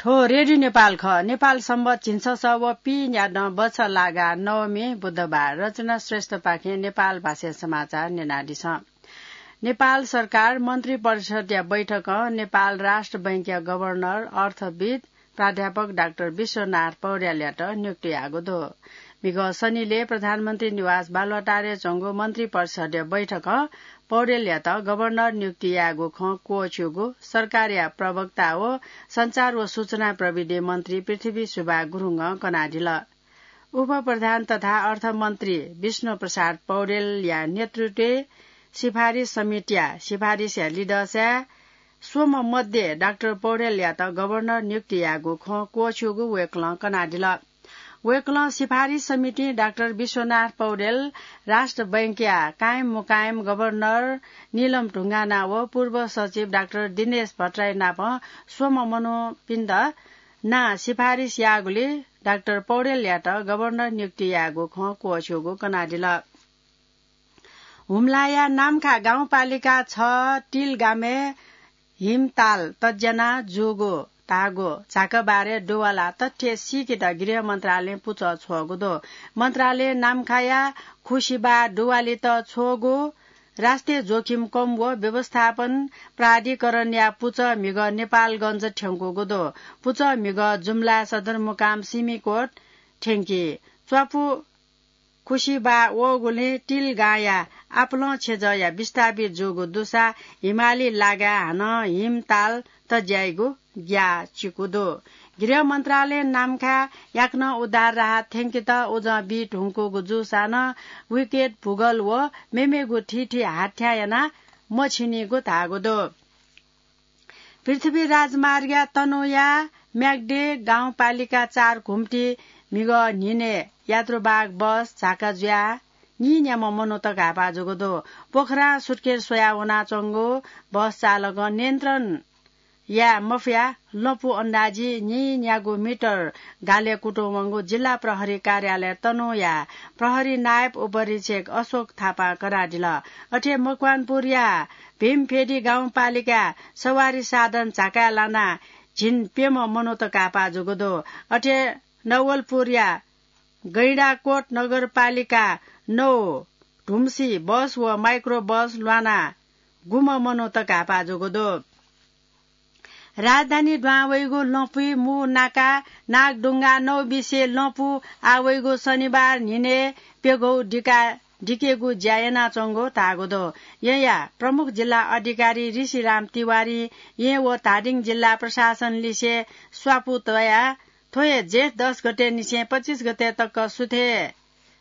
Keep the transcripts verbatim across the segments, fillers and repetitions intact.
थ्व रेडियो नेपाल खः। नेपाल सम्बत झिंछसः व पीन्यादँ बछलागा नवमी बुधबार। रचना श्रेष्ठपाखें नेपाल भाषाय् समाचार न्यनादिसँ। नेपाल सरकार मन्त्री परिषदया बैठकं नेपाल राष्ट्र बैंकया गभर्नर अर्थविद् प्राध्यापक डाक्टर विश्वनाथ पौड्यालयात नियुक्ति याःगु दु। म्हिगः शनिले प्रधानमन्त्री निवास बालुवाटारय् च्वंगु मन्त्री परिषदया बैठकं पौड्यालयात गभर्नर नियुक्ति याःगु खँ क्वःछ्यूगु सरकारया प्रवक्ता व सञ्चार व सूचना प्रविधि मन्त्री पृथ्वी सुब्बा गुरुङं कनादिल। उपप्रधान तथा अर्थमन्त्री विष्णु प्रसाद पौड्यालया नेतृत्वय् सिफारिस समितिया सिफारिसया लिधंसाय् स्वम्ह मध्ये डाक्टर पौड्यालयात गभर्नर नियुक्ति याःगु खँ क्वःछ्यूगु वय्कलं कनादिल। वय्कलं सिफारिस समितिं डाक्टर विश्वनाथ पौड्याल, राष्ट्र बैंकया कायम मुकायम गभर्नर नीलम ढुङ्गाना व पूर्व सचिव डाक्टर दिनेश भट्टराई नाप स्वम्ह मनूपिन्त नां सिफारिस याःगुलिं डाक्टर पौड्यालयात गभर्नर नियुक्ति याःगु खँ क्वःछ्यूगु कनादिल। हुम्लाया नाम्खा गाउँपालिका छ टिल गामय् हिमताल तज्याना जूगु धाःगु झाकाबारय् दुवाला तथ्य सीकेत गृह मन्त्रालयं पुचः छ्वःगु दु। मन्त्रालयं नाम्खाया खुसिबा दुवालित छ्वःगु राष्ट्रिय जोखिम कम व व्यवस्थापन प्राधिकरणया पुचः म्हिगः नेपालगञ्ज थ्यंकूगु दु। पुचः म्हिगः जुम्ला सदरमुकाम सिमिकोट थ्यंकी। च्वापु खुसिबा वःगुलिं टिल गांया आपालं छेँजःया विस्थापित जूगु दुसा हिमाली लागाय् हानं हिमताल तज्याइगु ग्याः चिकु दु। गृह मन्त्रालयं नाम्खाय् याकनं उद्धार राहत थ्यंकेत उजं बी धुंकूगु जूसां नं विकेट भूगोल व मेमेगु थीथी हाथ्यां यानाः मछिनीगु धाःगु दु। पृथ्वी राजमार्गया तनहुँया म्याग्दे गाउँपालिका चार घुम्टी म्हिगः न्हिनय् यात्रुवाहक बस झाका जुयाः नीन्याम्ह मनूत घाय्पा जूगु दु। पोखरां सुटकेस स्वयाः वनाच्वंगु बस चालकं नियन्त्रण याये मफयाः लँपु अन्दाजी नीन्यागू मिटर गालय् कुतुं वंगु जिल्ला प्रहरी कार्यालय तनहुँया प्रहरी नायब उपरीक्षक अशोक थापां कनादिल। अथे मकवानपुरया भीमफेदी गाउँपालिकाय् सवारी साधन झाकाय् लानाः झिंप्यम्ह मनूत घाय्पा जूगु दु। अथे नवलपुरया गैंडाकोट नगरपालिका नौ धुम्सी बस व माइक्रो बस ल्वानाः गुम्ह मनूत घाय्पा जूगु दु। राजधानी दुहां वइगु लँपुइ मू नाका नागढुङ्गा नौ बिसे लँपु आः वइगु शनिबार न्हिनय् प्यघौ दिका दिकेगु ज्या यानाच्वंगु धाःगु दु। येँया प्रमुख जिल्ला अधिकारी ऋषिराम तिवारीं येँ व धादिङ जिल्ला प्रशासन लिसे स्वापू तयाः थ्व हे जेठ दस गते निसें पच्चिस गते तक सुथय्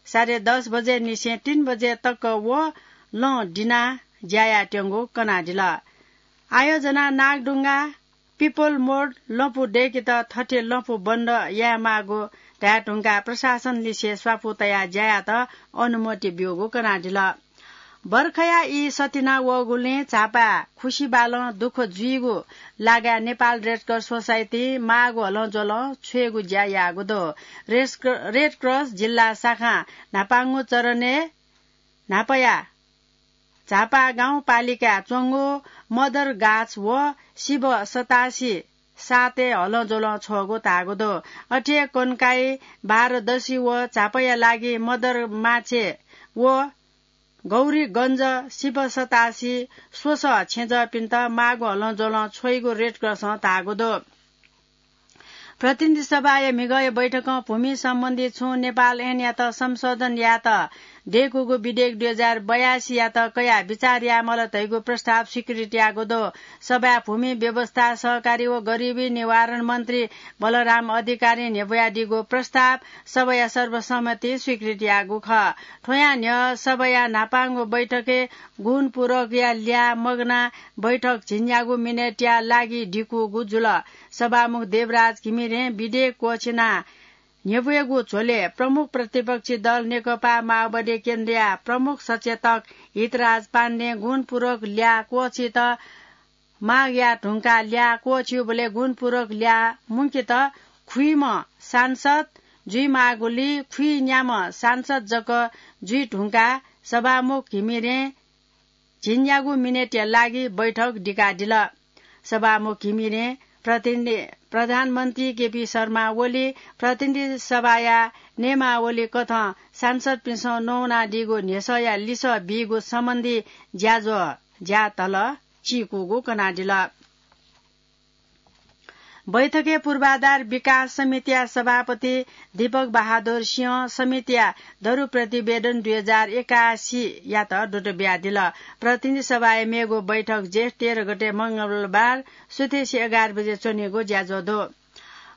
साढे दस बजे निसें तीन बजे तक व लँ दिनाः ज्या यायेत्यंगु कनादिल। आयोजना नागढुङ्गा पिपल मोड लँपु दय्केत थथे लँपु बन्द यायेमाःगु धाये धुंकाः प्रशासन लिसे स्वापू तयाः ज्या यायेत अनुमति ब्यूगु कनादिल। बर्खाया ई सतिना वःगुलिं झापाय् खुसिबालं दुःख जुइगु लागाय् नेपाल रेडक्रस सोसाइटिं माःगु हलंज्वलं छ्वयेगु ज्या याःगु दु। रेस-, रेडक्रस जिल्ला शाखां न्हापांगु चरणय् न्हापाया झापा गाउँपालिकाय् च्वंगु मदर गाछ व सिब सतासी सातय् हलंज्वलं छ्वःगु धाःगु दु। अथे कन्काई, बाह्रदशी व झापाया लागि मदर माछे व गौरीगञ्ज सिब सतासी स्वसः छेँजःपिन्त माःगु हलंज्वलं छ्वइगु रेडक्रसं धाःगु दु। प्रतिनिधि सभाया म्हिगःया बैठकं भूमि सम्बन्धी छुं नेपाल ऐनयात संशोधन यायेत दय्कूगु विधेयक दुई हजार बयासीयात कयाः बिचाः यायेमाल धइगु प्रस्ताव स्वीकृत याःगु दु। सभाय् भूमि व्यवस्था, सहकारी व गरिबी निवारण मन्त्री बलराम अधिकारीं न्ह्यब्वयादीगु प्रस्ताव सभाया सर्वसम्मति स्वीकृत याःगु खः। थ्वयां न्ह्यः सभाया न्हापांगु बैठकय् गुणपूरकया ल्याः मगानाः बैठक झिंन्यागू मिनेटया लागि दिकूगु जुल। सभामुख देवराज घिमिरें विधेयक क्वःछिनाः न्ह्यब्वयेगु झ्वलय् प्रमुख प्रतिपक्षी दल नेकपा माओवादी केन्द्रया प्रमुख सचेतक हितराज पाण्डें गुणपूरक ल्याः क्वःछित माग याये धुंकाः ल्याः क्वःछिउबलय् गुणपूरक ल्याः मुंकेत खुइम्ह सांसद जुइमाःगुलिं खुइन्याम्ह सांसद जक जुइ धुंकाः सभामुख घिमिरें झिंन्यागू मिनेटया लागि बैठक दिकादिल। सभामुख घिमिरें प्रतिनिधि, प्रधानमन्त्री केपी शर्मा ओली प्रतिनिधि सभाया नियमावली कथं सांसदपिन्सं नवानादीगु न्ह्यसःया लिसः बीगु सम्बन्धी ज्याझ्वः ज्यातल चीकूगु कनादिल। बैठकय् पूर्वाधार विकास समितिया सभापति दीपक बहादुर सिंहं समितिया दरु प्रतिवेदन दुई हजार एकासीयात दुत बियादिल। प्रतिनिधि सभाया मेगु बैठक जेठ तेह्र गते मंगलबार सुथय्‌सि एघार बजे च्वनीगु ज्याझ्वः दु।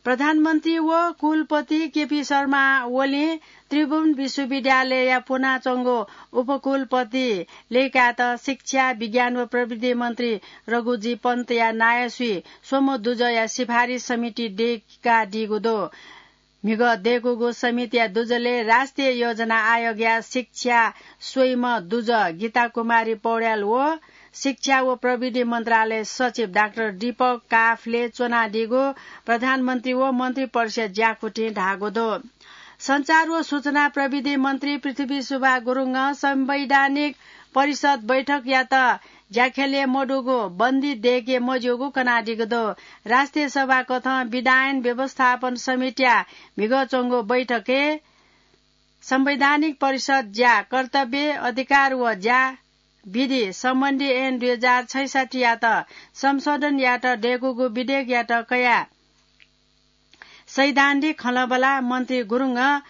प्रधानमन्त्री व कुलपति केपी शर्मा ओलीं त्रिभुवन विश्वविद्यालयया पुनाच्वंगु उपकुलपति लय्‌कायेत शिक्षा, विज्ञान व प्रविधि मन्त्री रघुजी पन्तया नायःसुइ स्वम्ह दुजःया सिफारिस समिति दय्‌कादीगु दु। म्हिगः दय्‌कूगु समितिया दुजलय् राष्ट्रिय योजना आयोगया शिक्षा स्वइम्ह दुजः गीता कुमारी पौड्याल व शिक्षा व प्रविधि मन्त्रालय सचिव डाक्टर दीपक काफले च्वनादीगु प्रधानमन्त्री व मन्त्री परिषद ज्याकुथिं धाःगु दु। सञ्चार व सूचना प्रविधि मन्त्री पृथ्वी सुब्बा गुरुङं संवैधानिक परिषद बैठकयात ज्याख्यलय् मदुगु, बन्दी दय्‌के मज्यूगु कनादीगु दु। राष्ट्रिय सभा कथं विधायन व्यवस्थापन समितिया म्हिगः च्वंगु बैठकय् संवैधानिक परिषद ज्या, कर्तव्य, अधिकार व ज्या विधि सम्बन्धी ऐन दुई हजार छैसठ्ठीयात संशोधन यायेत दय्‌कूगु विधेयकयात कयाः सैद्धान्तिक खँल्हाबल्हा मन्त्री गुरुङं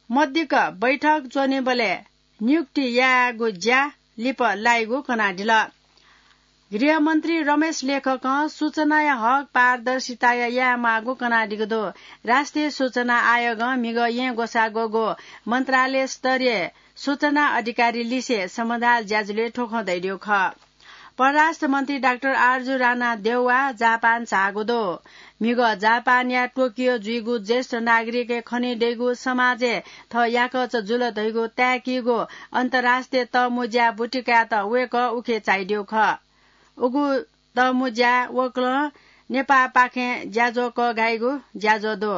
मदिक्क बैठक च्वनीबलय् नियुक्ति यायेगु ज्या लिपा लाइगु कनादिल। गृहमन्त्री रमेश लेखकं सूचनाया हक पारदर्शिताया यायेमाःगु कनादीगु दु। राष्ट्रिय सूचना आयोगं म्हिगः येँ ग्वसाः ग्वःगु मन्त्रालय स्तरीय सूचना अधिकारी लिसे समधाल ज्याझ्वलय् थ्व खँ धयादीगु खः। परराष्ट्र मन्त्री डाक्टर आरजु राणा देउवा जापान झाःगु दु। म्हिगः जापानया टोकियो जुइगु ज्येष्ठ नागरिकय् खनेदइगु समाजय् थः याकःचा जुल धइगु ताय्‌कीगु अन्तर्राष्ट्रिय तःमुँज्या बुतिकायेत वय्‌कः उखे झाइदीगु खः। उगु तःमुँज्याय् वय्‌कलं नेपाःपाखें ज्याझ्वः कःघाइगु ज्याझ्वः दु।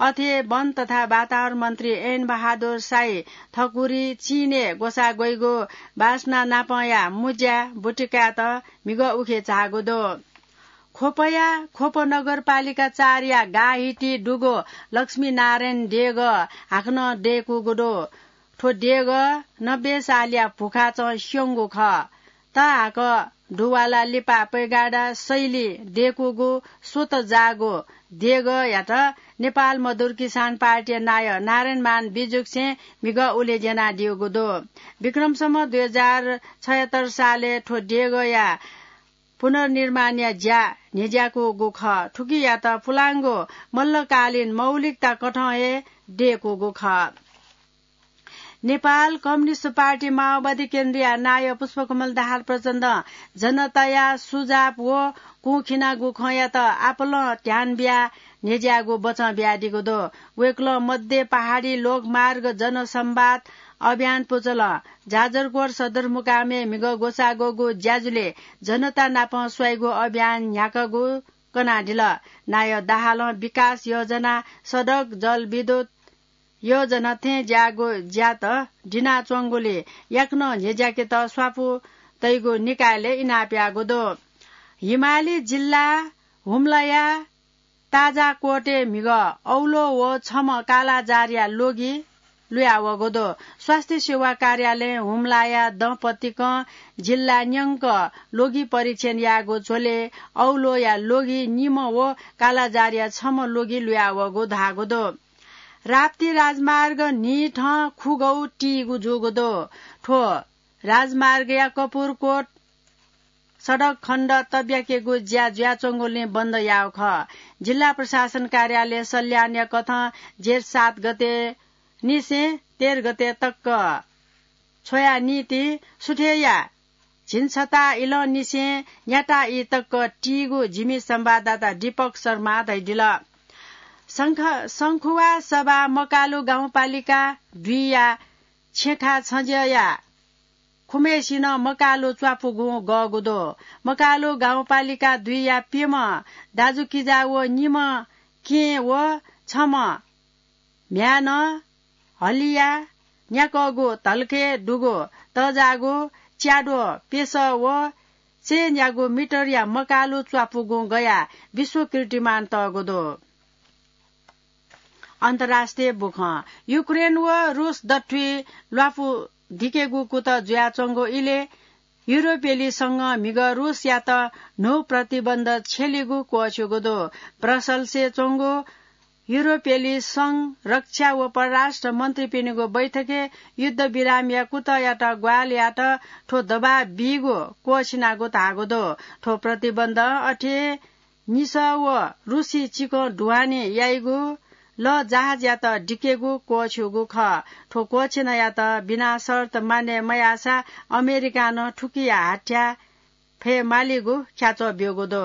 अथे वन तथा वातावरण मन्त्री ऐन बहादुर शाही थकुरी चीनय् ग्वसाः ग्वइगु वासना नापंया मुँज्या बुतिकायेत म्हिगः उखे झाःगु दु। ख्वपया ख्वप नगरपालिका चारया गाःहिति दुगु लक्ष्मीनारायण देगः हाकनं दय्‌कूगु दु। थ्व देगः नब्बे सालया भुखाचं स्यंगु खः। तःहाकः दुवाला लिपा पैगाडा शैली दय्‌कूगु स्वतः जाःगु देगःयात नेपाल मजदुर किसान पार्टीया नायः नारायणमान बिजुक्सें म्हिगः उलेज्यनादीगु दु। विक्रम सम्वत दुई हजार छयत्तर सालय् थ्व देगःया पुनर्निर्माणया ज्या न्ह्यज्याकूगु खः। थुकियात पुलांगु मल्लकालीन मौलिकता कथं हे दय्‌कूगु खः। नेपाल कम्युनिस्ट पार्टी माओवादी केन्द्रया नायः पुष्पकमल दाहाल प्रचण्डं जनताया सुझाव व कुंखिनागु खँयात आपालं ध्यान बियाः न्ह्यज्याःगु बचं बियादीगु दु। वय्‌कलं मध्य पहाडी लोकमार्ग जनसंवाद अभियान पुचलं जाजरकोट सदरमुकामय् म्हिगः ग्वसाः ग्वःगु ज्याझ्वलय् जनता नाप स्वाइगु अभियान न्ह्याकागु कनादिल। नायः दाहालं विकास योजना, सडक, जलविद्युत योजना थें ज्याःगु ज्यात दिनाच्वंगुलिं याकनं न्ह्यज्याकेत स्वापू तइगु निकायलय् इनाप याःगु दु। हिमाली जिल्ला हुम्लाया ताजाकोटय् म्हिगः औलो व छम्ह कालाजारया लोगी लुयावःगु दु। स्वास्थ्य सेवा कार्यालयं हुम्लाया दँपतिकं जिल्ला न्यंक लोगी परीक्षण याःगु झ्वलय् औलोया लोगी निम्ह व कालाजारया छम्ह लोगी लुयावःगु धाःगु दु। राप्ती राजमार्ग न्हिथं खुगौ तीगु जूगु दु। थ्व राजमार्गया कपुरकोट सडक खण्ड तब्याकेगु ज्या जुयाच्वंगुलिं बन्द याःगु खः। जिल्ला प्रशासन कार्यालय सल्यानया कथं जेठ सात गते निसें तेह्र गते तक छ्वया नीति सुथय्‌या झिंछता इलंनिसें न्याता ई तक तीगु जिमि संवाददाता दीपक शर्मा धयादिल। शंख-, शंखुवा सभा मकालु गाउँपालिका दुईया छेँखा छज्यःया खुम्हय्‌सिनं मकालु च्वापुगुं गःगु दु। मकालु गाउँपालिका दुईया प्यम्ह दाजुकिजा व निम्ह केहेँ व छम्ह म्ह्याय्‌नं हलिया न्याकःगु धल्खय् दुगु तःजाःगु च्याद्वः प्यसः व चेनयागु मिटरया मकालु च्वापुगुं गयाः विश्व कीर्तिमान तःगु दु। अन्तर्राष्ट्रिय बुखँ। युक्रेन व रुस दथुइ ल्वापु दिकेगु कुतः जुयाच्वंगु इलय् युरोपेली संघं म्हिगः रुसयात न्हू प्रतिबन्ध छ्यलीगु क्वःछ्यूगु दु। ब्रसल्सय् च्वंगु युरोपेली संघ रक्षा व परराष्ट्र मन्त्रीपिनिगु बैठकय् युद्धविरामया कुतःयात ग्वाहालि यात। थ्व दबाब बीगु क्वःछिनागु धाःगु दु। थ्व प्रतिबन्ध अथे निसः व रुसी चिकं ढुवानी याइगु लःजहाजयात दिकेगु क्वःछ्यूगु खः। थ्व क्वःछिनायात बिना शर्त मान्य मयाःसा अमेरिकां नं थुकिया हाथ्या फयेमालीगु ख्याच्वः ब्यूगु दु।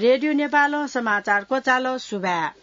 रेडियो नेपालं समाचार क्वचाल। सुभाय्।